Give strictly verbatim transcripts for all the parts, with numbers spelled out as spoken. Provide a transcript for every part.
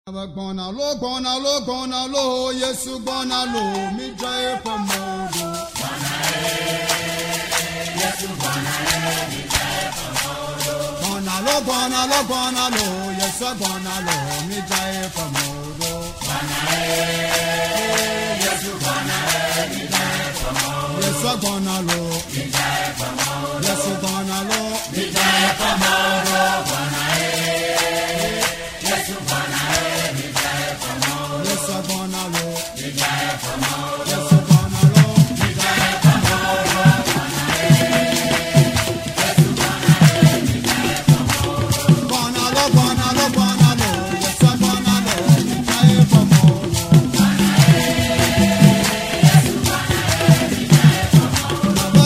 Gbɔna lo gbɔna lo gbɔna lo Yesu gbɔna lo mi dza eƒe mɔ ɖo. Gbɔna lo gbɔna lo gbɔna lo Yesu gbɔna lo mi dza eƒe mɔ ɖo. Yesu gbɔna lo Yesu gbɔna lo mi dza eƒe mɔ ɖo. Yesu gbɔna lo Yesu gbɔna lo mi dza eƒe mɔ ɖo. Gbɔna lo gbɔna lo gbɔna lo Yesu gbɔna lo mi dza eƒe mɔ ɖo.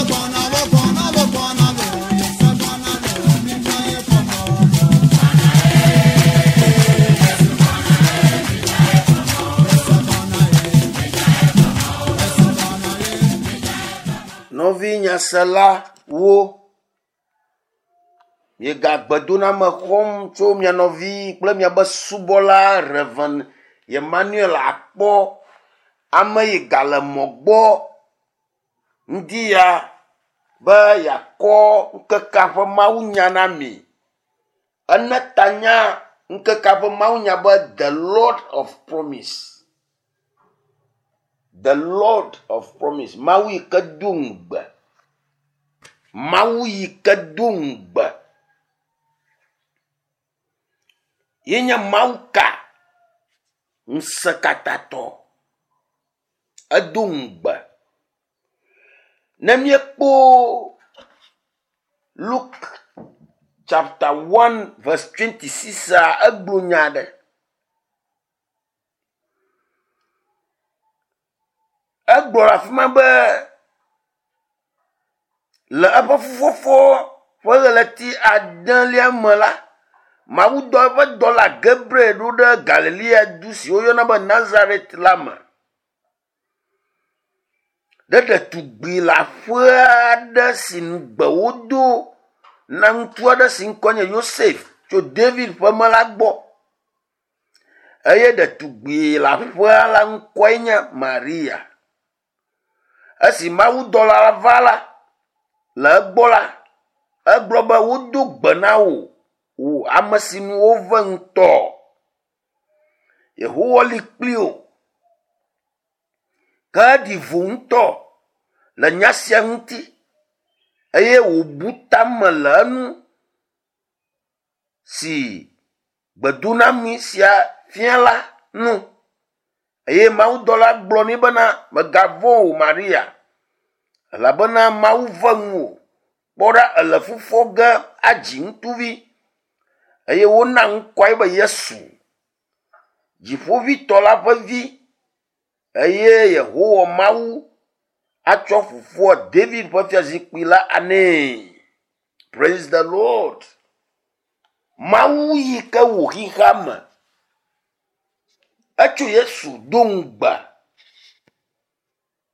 Gbɔna lo gbɔna lo gbɔna lo Yesu gbɔna lo mi dza eƒe mɔ ɖo. Yesu gbɔna ye Yesu gbɔna ye. Nɔvi nyaselawo, miegagbedoname xɔm tso mia nɔvi kple miabe subɔla Reverend Emmanuel Akpɔ, ame yi gale mɔ gbɔ ŋdi ya be yeakɔ ŋkekea ƒe mawunya na mi. Ene tanya ŋkekea ƒe mawunya be The Lord of Promise. The Lord of Promise. Mawu yi ke do ŋugbe. Mawu yi ke do ŋugbe. Ye nye Mawu ka? Ŋusẽkatatɔ. Edo ŋugbe. Ne míekpɔ Luke chapter one verse twenty-six a, egblɔ nya aɖe. Egblɔ le afi ma be le eƒe fufɔfɔ ƒe ɣleti adelia me la, Mawu dɔ eƒe dɔla Gabriel ɖo ɖe Galilea du si woyɔna be Nazaret la me. Ɖe ɖetugbi le aƒe aɖe si ŋugbe wodo na ŋutsu aɖe si ŋkɔ nye Yosef tso David ƒe me la gbɔ. Eye ɖetugbi le aƒea la ŋkɔe nye Maria. Esi mawudɔla la va la, le egbɔ la, egblɔ be wodo gbe na wò, wò ame si nu wove ŋutɔ. Yehowa li kpli wò. Ke eɖi vo ŋutɔ le nya sia ŋuti eye wòbu tame le enu si gbedoname sia fia la nu. Eye mawudɔla gblɔ nɛ bena mègavɔ̃ o Maria, elabena Mawu ve ŋuwò. Kpɔ ɖa ele fufɔ ge adzi ŋutsuvi eye wona ŋkɔe be Yesu, Dziƒoʋĩtɔ la ƒe vi eye Yehowa Mawu atsɔ fofoa David ƒe fiazikpui la anɛ. Praise the Lord. Mawu yi ke wò xexea me. Etso Yesu do ŋugbe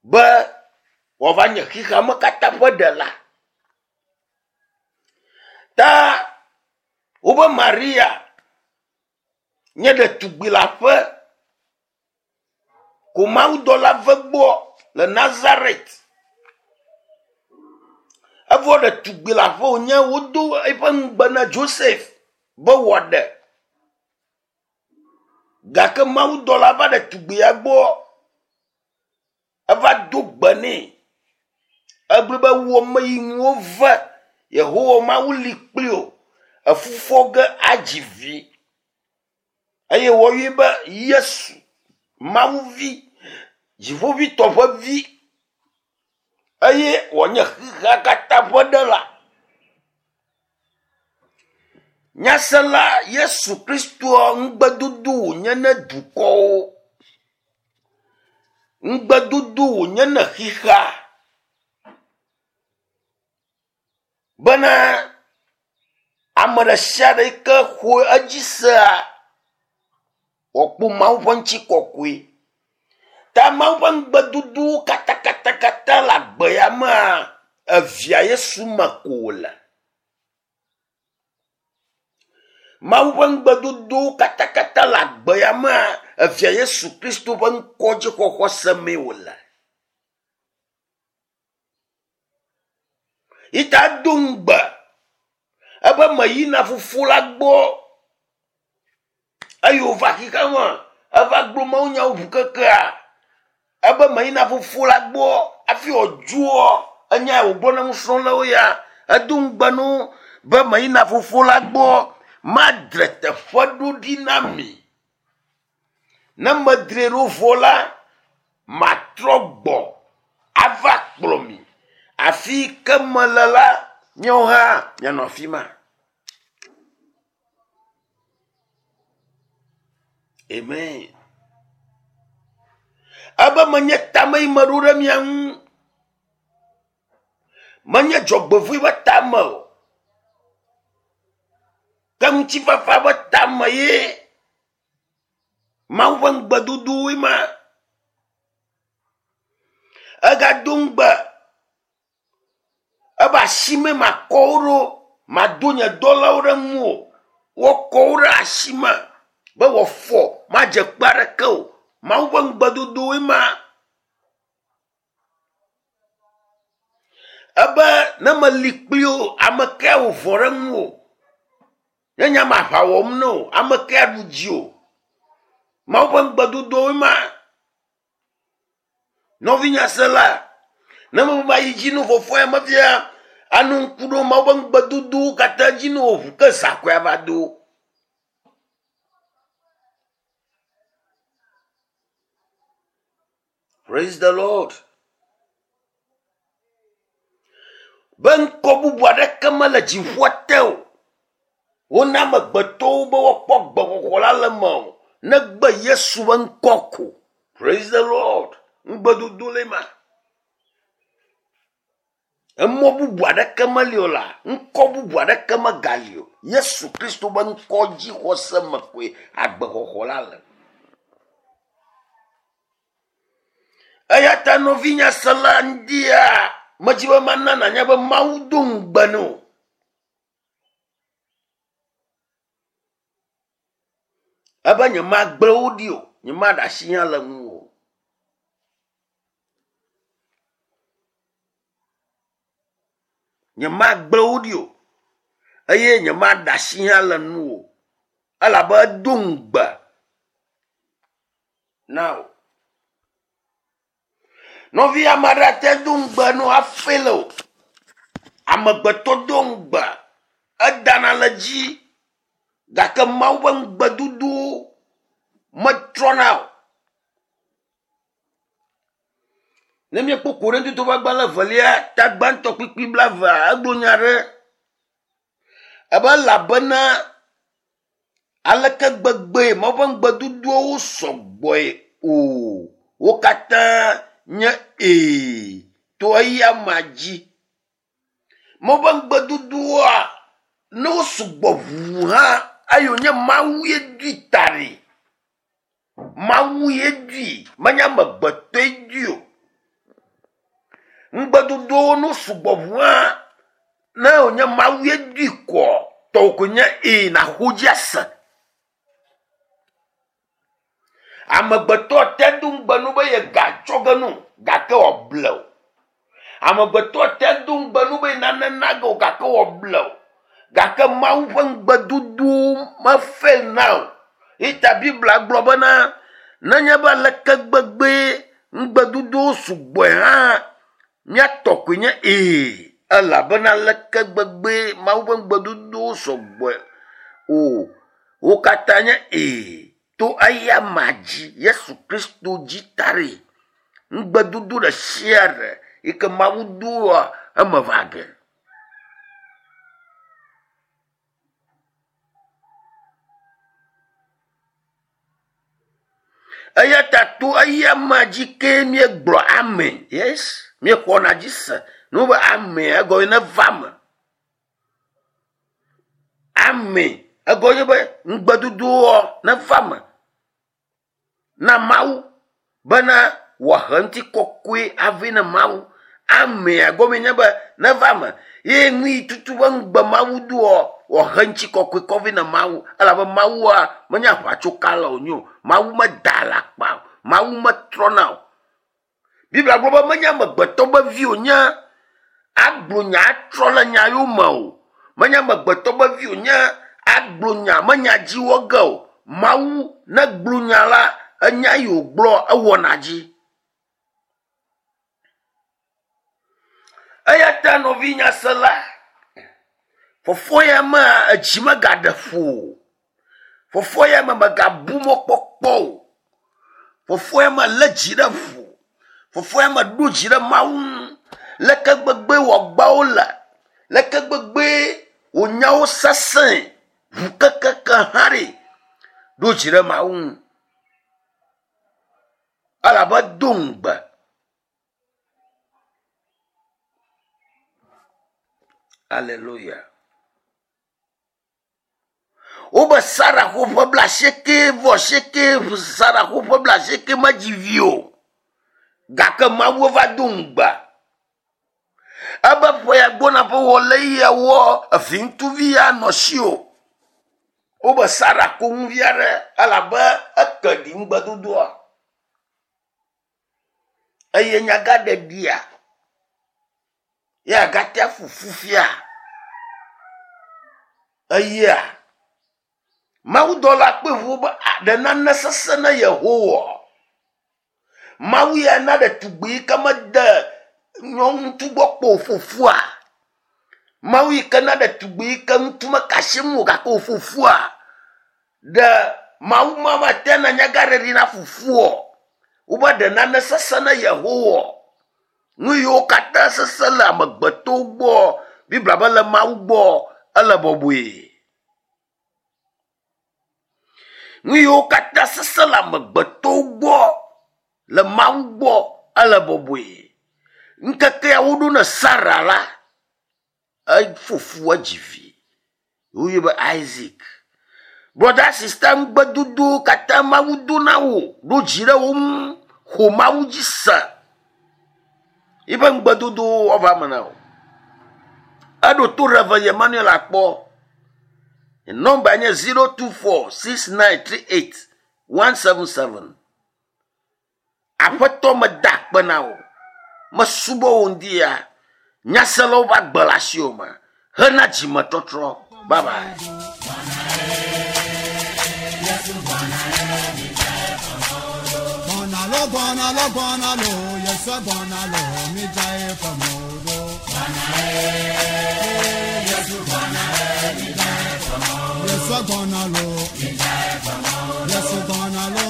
be wòava nye xexea me katã ƒe ɖela. Ta wobe Maria nye ɖetugbi le aƒe ko mawudɔla ve gbɔ le Nazaret. Evɔ ɖetugbi le aƒe wònye wodo eƒe ŋugbe na Joseph be wòaɖe. Gake mawudɔla va ɖetugbia gbɔ, eva do gbe nɛ. Egblɔ be wò ame yi ŋu wove, Yehowa Mawu li kpli wò, efufɔ ge adzi vi. Eye woyɔe be Yesu, Mawu vi, Dziƒoʋĩtɔ ƒe vi eye wòanye xexea katã ƒe ɖela. Nyasela Yesu Kristoa ŋugbedodo wònye ne dukɔwo. Ŋugbedodo wònye ne xexea. Bena ame ɖe sia ɖe yi ke xɔ edzi sea, wòakpɔ Mawu ƒe ŋutikɔkɔe. Ta Mawu ƒe ŋugbedodowo katakatakata le agbe ya mea, evia Yesu me ko wòle. Mawu ƒe ŋugbedodowo katakata le agbe ya Amea evia Yesu Kristo ƒe ŋkɔ dzixɔxɔ semee wòle. Yita do ŋugbe ebe meyina fofo la gbɔ eye wòva xexea me eva gblɔ mawunyawo ʋu kekea ebe meyina fofo la gbɔ hafi wòdzoa enya wògblɔ na nusrɔ̃lawo ya edo ŋugbe na wo be meyina fofo la gbɔ madre teƒe ɖo ɖi na mi. Ne medre ɖo vɔ la matrɔ gbɔ ava kplɔ mi. Afi ke mele la miawo hã mianɔ afi ma. Amen. Ebe menye tame yi meɖo ɖe mia ŋu. Menye dzɔgbevɔ̃e ƒe tame o. Ke ŋutifafa ƒe tame ye. Mawu ƒe ŋugbedodowoe ma. Egado ŋugbe ebe asime makɔ wo ɖo, mado nye dɔlawo ɖe ŋuwò. Woakɔ wo ɖe asime be wòafɔ madze kpe aɖeke o. Mawu ƒe ŋugbedodowoe ma. Ebe ne meli kpli wo, ame kae wò vɔ̃ ɖe ŋuwò? Nye nya me aʋa wɔm na wo, ame kae aɖu dziwò? Mawu ƒe ŋugbedodowoe ma. Nɔvinyasela, ne mebe mayi dzi no vɔvɔ̃ ya mefia anɔ ŋku ɖo Mawu ƒe ŋugbedodowo katã dzi ne wò ʋu ke zã koe ava do. Praise the Lord. Be ŋkɔ bubu aɖeke mele dziƒoa te o. Wona amegbetɔwo be woakpɔ gbexɔxɔ la le eme o. Negbe Yesu ƒe ŋkɔ ko. Praise the Lord. Ŋugbedodo le ma. Emɔ bubu aɖeke meli o la, ŋkɔ bubu aɖeke megali o. Yesu Kristo ƒe ŋkɔ dzixɔse me koe agbexɔxɔ la le. Eya ta nɔvinyasela ŋdia, medzi be mana nanya be Mawu do ŋugbe na wò. Ebe nyemagblẽ wo ɖi o, nyemaɖe asi hã le ŋuwò o. Nyemagblẽ wo ɖi o eye nyemaɖe asi hã le ŋuwò o. Elabe edo ŋugbe na wò. Nɔvi ame aɖe ate do ŋugbe na wò hafi le o. Amegbetɔ do ŋugbe, edana le dzi gake Mawu ƒe ŋugbedodowo metrɔna o. Ne míekpɔ Korintotɔwo ƒe agbalẽ evelia ta gbãtɔ kpukpui blaevea, egblɔ nya ɖe ebe elabena aleke gbegbee Mawu ƒe ŋugbedodowo sɔgbɔe o, wo katã nye ee to eya amea dzi. Mawu ƒe ŋugbedodowoa, ne wo sugbɔ ʋuu hã, eye wònye Mawu ye doe ta ɖi. Mawu ye doe, menye amegbetɔe doe o. Ŋugbedodowo no sugbɔ ʋuu hã, ne wònye Mawu ye doe koa, tɔwò koe nye ee nàxɔ dzi ase. Amegbetɔ te do ŋugbe nu be yegatsɔ ge no, gake wòable o. Amegbetɔ te do ŋugbe nu be nane na ge o, gake wòable o. Gake Mawu ƒe ŋugbedodowo mefail na o. Eya Biblia gblɔ bena nenye be aleke gbegbee ŋugbedodowo sugbɔe hã, míatɔ koe nye ee, elabena aleke gbegbee Mawu ƒe ŋugbedodowo sɔgbɔe o, wo katã nye ee to eya amea dzi, Yesu Kristo dzi ta ɖi. Ŋugbedodo ɖe sia ɖe yi ke Mawu doa eme va ge. Eya ta to eya amea dzi kee míegblɔ amen. Yes, míexɔna dzi se. Ne be amen egɔme neva eme. Amen egɔme nye be ŋugbedodowoa neva eme na Mawu bena wòahe ŋutikɔkɔe ave na Mawu. Amea gɔme nye be neva me. Ye nui tutu be ŋugbe Mawu doɔ wòhe ŋutikɔkɔe kɔ vɛ na Mawu. Elabe Mawua menye aʋatsokala wònye o. Mawu meda alakpa o. Mawu metrɔna o. Biblia gblɔ be menye amegbetɔ be vi wònye agblɔ nya atrɔ le nya yome o. Menye amegbetɔ be vi wònye agblɔ nya menya dzi wɔ ge o. Mawu ne gblɔ nya la, enya yi wògblɔ ewɔna dzi. Eya ta nɔvi nyasela, fɔfɔ ya mea edzi megaɖe ƒo o. Fɔfɔ ya me megabu mɔkpɔkpɔ o. Fɔfɔ ya me lé dzi ɖe ƒo. Fɔfɔ ya me ɖo dzi ɖe Mawu ŋu. Leke gbegbe wòagbawo le, leke gbegbe wònyawo sesẽ, ʋukekeke hã ɖe, ɖo dzi ɖe Mawu ŋu. Elabe do ŋugbe. Alléluia. Wobe Sara xɔ ƒe blaasieke vɔ asieke, Sara xɔ ƒe blaasieke medzi vi o. Gake Mawu va do ŋugbe. Ebe ƒe ya gbɔna ƒe wɔle ya wɔ evi ŋutsuvi ya nɔ si o. Wobe Sara ko ŋu vi aɖe elabe eke ɖi ŋugbedodoa. Eye nyagaɖeɖia ya gatea fufu fia. Eyea Mawudɔla kpe ʋu be ɖe nane sesẽ na Yehowa. Mawu ya na ɖetugbi yi ke mede nyɔnu gbɔ kpɔ o fofua. Mawu yi ke na ɖetugbi yi ke ŋutsu meka asi ŋu o gake wòfofua. Ɖe Mawu ma mate na nyagaɖeɖi na fofoa. Wobe ɖe nane sesẽ na Yehowa. Nu yiwo katã sesẽ le amegbetɔwo gbɔ, Biblia be le Mawu gbɔ ele bɔbɔe. Nu yiwo katã sesẽ le amegbetɔwo gbɔ le Mawu gbɔ ele bɔbɔe. Ŋkeke ya woɖo ne Sara la, efofoa dzi vi. Woyɔe be Isaac. Brother, sister, ŋugbedodowo katã Mawu do na wò, ɖo dzi ɖe wo ŋu, xɔ Mawu dzi se. Yiƒe ŋugbedodowo woava eme na wò. Eɖo to Reverend Emmanuel akpɔ. Nɔmba nye zero two four six nine three eight one seven seven. Aƒetɔ meda akpe na wò. Mesubɔ wò ŋdi ya. Nyaselawo va gbe le asiwò me. Hena dzimetɔtrɔ. Bye bye. Gbɔna lo, gbɔna lo, gbɔna lo, Yesu gbɔna lo, mi dza eƒe mɔ ɖo. Yesu gbɔna lo, Yesu gbɔna lo,